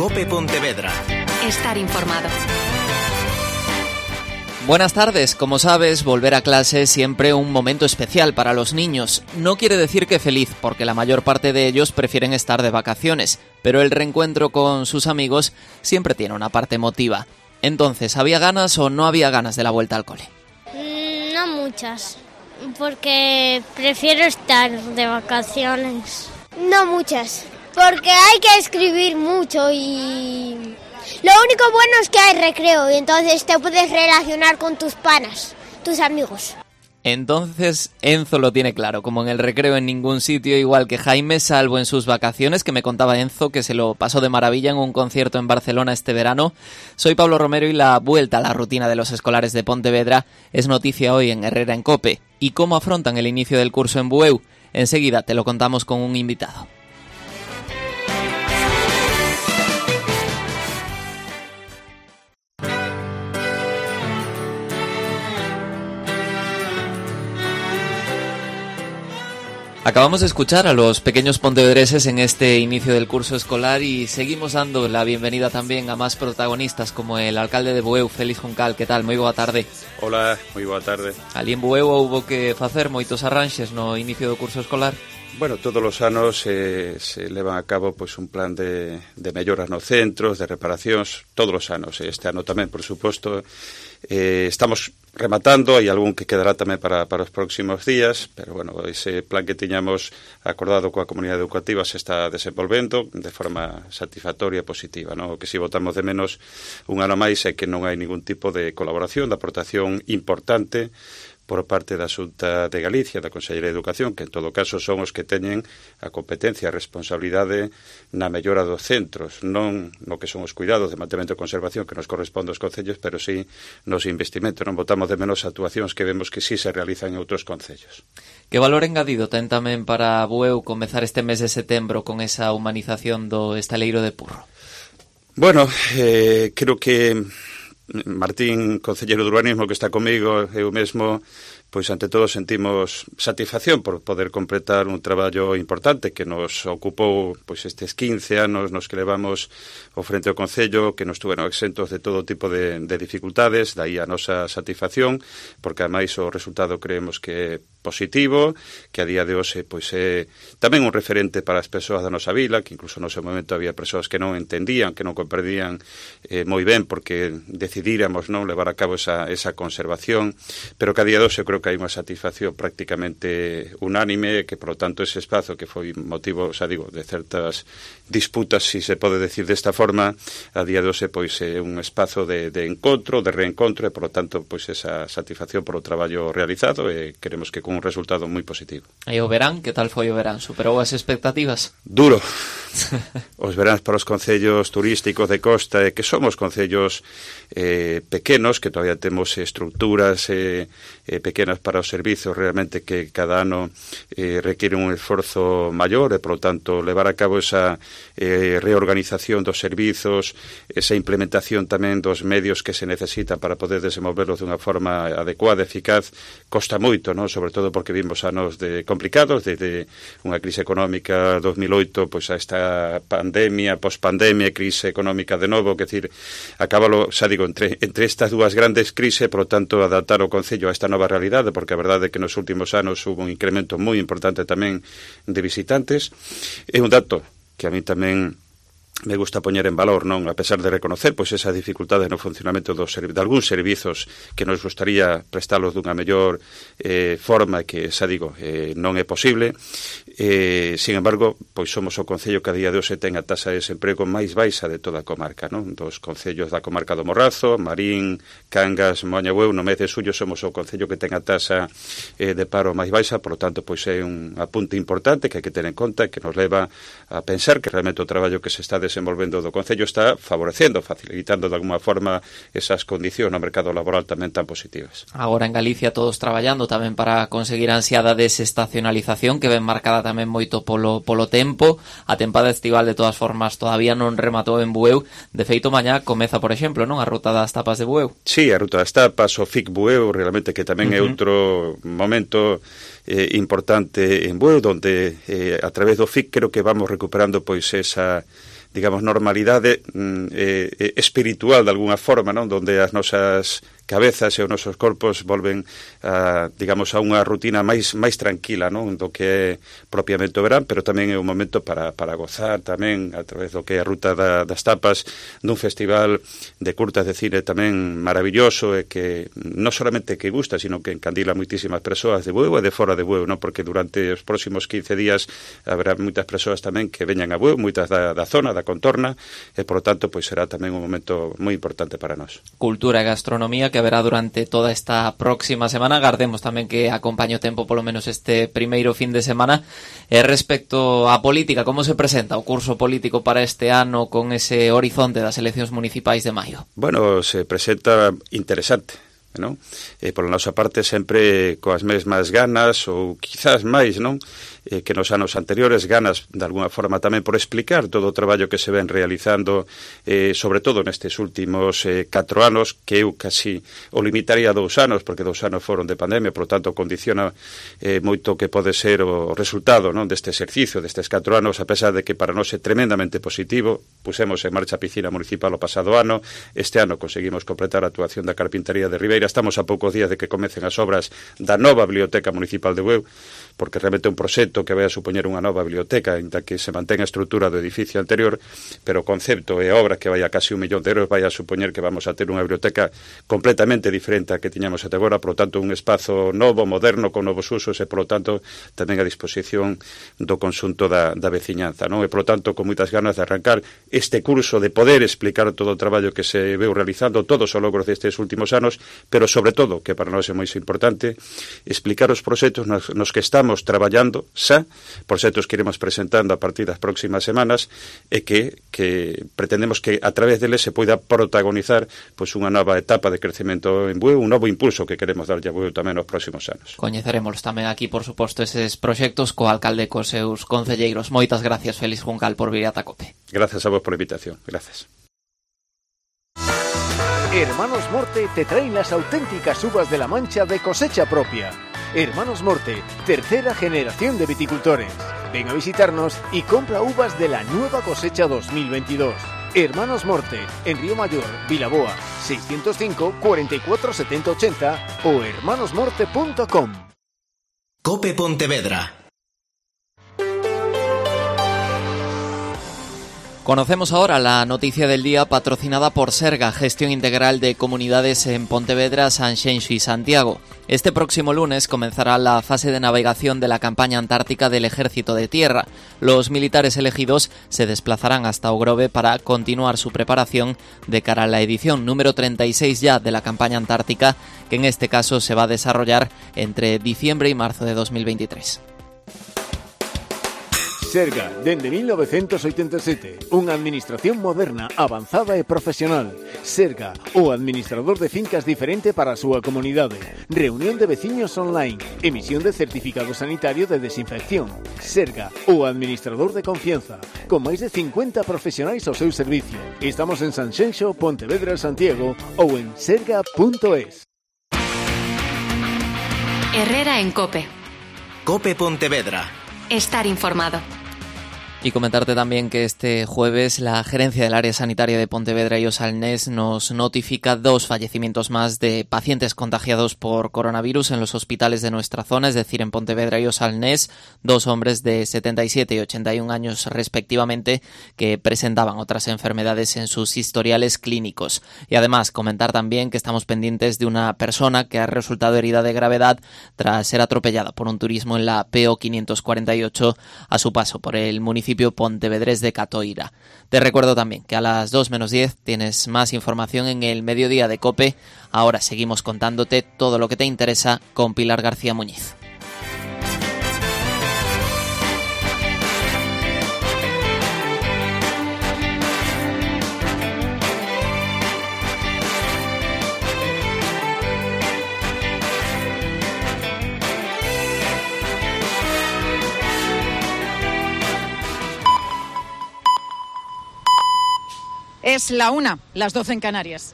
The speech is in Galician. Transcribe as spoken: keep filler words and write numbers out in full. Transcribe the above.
COPE Pontevedra. Estar informado. Buenas tardes. Como sabes, volver a clase es siempre un momento especial para los niños. No quiere decir que feliz, porque la mayor parte de ellos prefieren estar de vacaciones, pero el reencuentro con sus amigos siempre tiene una parte emotiva. Entonces, ¿había ganas o no había ganas de la vuelta al cole? Mm, no muchas, porque prefiero estar de vacaciones. No muchas, porque hay que escribir mucho y lo único bueno es que hay recreo y entonces te puedes relacionar con tus panas, tus amigos. Entonces Enzo lo tiene claro, como en el recreo en ningún sitio, igual que Jaime, salvo en sus vacaciones, que me contaba Enzo que se lo pasó de maravilla en un concierto en Barcelona este verano. Soy Pablo Romero y la vuelta a la rutina de los escolares de Pontevedra es noticia hoy en Herrera en COPE. ¿Y cómo afrontan el inicio del curso en Bueu? Enseguida te lo contamos con un invitado. Acabamos de escuchar a los pequeños pontevedreses en este inicio del curso escolar y seguimos dando la bienvenida también a más protagonistas como el alcalde de Bueu, Félix Juncal. Que tal? Moi boa tarde. Hola, moi boa tarde. Ali en Bueu houbo que facer moitos arranxes no inicio do curso escolar. Bueno, todos os anos eh, se levan a cabo pois un plan de, de melloras nos centros, de reparacións, todos os anos. Este ano tamén, por suposto, eh, estamos rematando, hai algún que quedará tamén para, para os próximos días, pero bueno, ese plan que tiñamos acordado coa comunidade educativa se está desenvolvendo de forma satisfactoria e positiva, non? O que si votamos de menos un ano máis é que non hai ningún tipo de colaboración, de aportación importante por parte da Xunta de Galicia, da Consellería de Educación, que en todo caso son os que teñen a competencia, a responsabilidade na mellora dos centros, non no que son os cuidados de mantemento e conservación que nos corresponde aos concellos, pero sí nos investimentos. Non botamos de menos actuacións que vemos que sí se realizan en outros concellos. Que valor engadido ten tamén para Bueu comezar este mes de setembro con esa humanización do estaleiro de Purro? Bueno, eh, creo que Martín, concelleiro de urbanismo, que está comigo, eu mesmo, pois ante todo sentimos satisfacción por poder completar un traballo importante que nos ocupou pois estes quince anos nos que levamos ao frente ao Concello, que nos tuveron exentos de todo tipo de, de dificultades, daí a nosa satisfacción, porque ademais o resultado creemos que é positivo, que a día de hoxe pois é tamén un referente para as persoas da nosa vila, que incluso no seu momento había persoas que non entendían, que non comprendían eh, moi ben porque decidíramos non levar a cabo esa, esa conservación, pero que a día de hoxe creo que hai unha satisfacción prácticamente unánime, que por lo tanto ese espazo que foi motivo, xa digo, de certas disputas, si se pode decir desta forma, a día de hoxe pois é un espazo de, de encontro, de reencontro e por lo tanto pois esa satisfacción por o traballo realizado e queremos que con un resultado moi positivo. E o verán, que tal foi o verán? Superou as expectativas? Duro. Os veráns para os concellos turísticos de costa, e que somos concellos eh, pequenos, que todavía temos estructuras eh, eh, pequenas para os servizos realmente que cada ano eh, requiere un esforzo maior e, por lo tanto, levar a cabo esa eh, reorganización dos servizos, esa implementación tamén dos medios que se necesitan para poder desenvolverlos de unha forma adecuada, eficaz, costa moito, non? Sobre todo porque vimos anos de complicados, desde unha crise económica dos mil oito pois a esta pandemia, pospandemia, crise económica de novo, que decir, acábalo, xa digo, entre, entre estas dúas grandes crises, por lo tanto, adaptar o Concello a esta nova realidade, porque a verdade é que nos últimos anos hubo un incremento moi importante tamén de visitantes. É un dato que a mí tamén me gusta poñer en valor, non, a pesar de reconocer pois esa dificultade no funcionamento dos servi- de algúns servizos que nos gustaría prestalos dunha mellor eh, forma que, xa digo, eh, non é posible. Eh, sin embargo, pois somos o concello que a día de hoxe ten a taxa de desemprego máis baixa de toda a comarca, non? Dos concellos da comarca do Morrazo, Marín, Cangas, Moaña Bueu, no mes de xullo somos o concello que ten a taxa eh, de paro máis baixa, por lo tanto, pois é un apunte importante que hai que ter en conta e que nos leva a pensar que realmente o traballo que se está desenvolvendo do Concello está favorecendo, facilitando de alguma forma esas condicións no mercado laboral tamén tan positivas. Agora en Galicia todos traballando tamén para conseguir a ansiada desestacionalización que ven marcada tamén moito polo, polo tempo. A tempada estival de todas formas todavía non rematou en Bueu. De feito, mañá comeza, por exemplo, non, a ruta das tapas de Bueu. Sí, a ruta das tapas, o F I C Bueu, realmente que tamén uh-huh. é outro momento eh, importante en Bueu, donde eh, a través do F I C creo que vamos recuperando pois esa digamos, normalidade eh, eh, espiritual de alguna forma, non? Donde as nosas cabezas e os nosos corpos volven a, digamos, a unha rutina máis máis tranquila, non? Do que é propiamente o verán, pero tamén é un momento para, para gozar tamén a través do que é a ruta da, das tapas dun festival de curtas de cine tamén maravilloso e que non solamente que gusta, sino que encandila moitísimas persoas de Bueu e de fora de Bueu, non? Porque durante os próximos quince días haberá moitas persoas tamén que veñan a Bueu, moitas da, da zona, da contorna, e, por lo tanto, pois será tamén un momento moi importante para nós. Cultura e gastronomía que haberá durante toda esta próxima semana. Agardemos tamén que acompañe o tempo polo menos este primeiro fin de semana. E respecto á política, como se presenta o curso político para este ano con ese horizonte das eleccións municipais de maio? Bueno, se presenta interesante, non? E pola nosa parte sempre coas mesmas ganas ou quizás máis, non? Eh, que nos anos anteriores, ganas de alguna forma tamén por explicar todo o traballo que se ven realizando, eh, sobre todo nestes últimos eh, catro anos, que eu casi o limitaría a dous anos, porque dous anos foron de pandemia, por lo tanto condiciona eh, moito que pode ser o resultado, non, deste exercicio, destes catro anos, a pesar de que para nós é tremendamente positivo. Pusemos en marcha a piscina municipal o pasado ano, este ano conseguimos completar a actuación da carpintería de Ribeira, estamos a poucos días de que comecen as obras da nova biblioteca municipal de Bueu, porque realmente é un proxecto que vai a supoñer unha nova biblioteca, ainda que se mantén a estrutura do edificio anterior, pero o concepto e a obra que vai a casi un millón de euros vai a supoñer que vamos a ter unha biblioteca completamente diferente a que tiñamos até agora, por lo tanto un espazo novo, moderno, con novos usos e, por lo tanto, tamén a disposición do conxunto da, da veciñanza, non? E, por lo tanto, con moitas ganas de arrancar este curso, de poder explicar todo o traballo que se veu realizando, todos os logros destes últimos anos, pero, sobre todo, que para nós é moi importante, explicar os proxectos nos, nos que estamos traballando xa, proxectos que iremos presentando a partir das próximas semanas e que, que pretendemos que a través deles se poida protagonizar pois unha nova etapa de crecemento en Bueu, un novo impulso que queremos darlle a Bueu tamén nos próximos anos. Coñeceremos tamén aquí, por suposto, eses proxectos co alcalde e cos seus concelleiros. Moitas gracias, Félix Juncal, por vir ata Cope. Gracias a vos por a invitación. Gracias. Hermanos Morte te traen las auténticas uvas de la Mancha de cosecha propia. Hermanos Morte, tercera generación de viticultores. Ven a visitarnos y compra uvas de la nueva cosecha dos mil veintidós. Hermanos Morte, en Río Mayor, Vilaboa, seiscientos cinco, cuarenta y cuatro, setenta, ochenta o hermanos morte punto com. Cope Pontevedra. Conocemos ahora la noticia del día patrocinada por Serga, Gestión Integral de Comunidades en Pontevedra, Sanxenxo y Santiago. Este próximo lunes comenzará la fase de navegación de la campaña antártica del Ejército de Tierra. Los militares elegidos se desplazarán hasta Ogrove para continuar su preparación de cara a la edición número treinta y seis ya de la campaña antártica, que en este caso se va a desarrollar entre diciembre y marzo de dos mil veintitrés. Serga, dende mil novecientos oitenta e sete, unha administración moderna, avanzada e profesional. Serga, o administrador de fincas diferente para a súa comunidade. Reunión de veciños online, emisión de certificado sanitario de desinfección. Serga, o administrador de confianza, con máis de cincuenta profesionais ao seu servicio. Estamos en Sanxenxo, Pontevedra e Santiago ou en serga punto es. Herrera en Cope. Cope Pontevedra. Estar informado. Y comentarte también que este jueves la gerencia del área sanitaria de Pontevedra y Osalnés nos notifica dos fallecimientos más de pacientes contagiados por coronavirus en los hospitales de nuestra zona, es decir, en Pontevedra y Osalnés, dos hombres de setenta y siete y ochenta y un años respectivamente que presentaban otras enfermedades en sus historiales clínicos. Y además comentar también que estamos pendientes de una persona que ha resultado herida de gravedad tras ser atropellada por un turismo en la P O quinientos cuarenta y ocho a su paso por el municipio pontevedrés de Catoira. Te recuerdo también que a las dos menos diez tienes más información en el mediodía de Cope. Ahora seguimos contándote todo lo que te interesa con Pilar García Muñiz. Es la una, las doce en Canarias.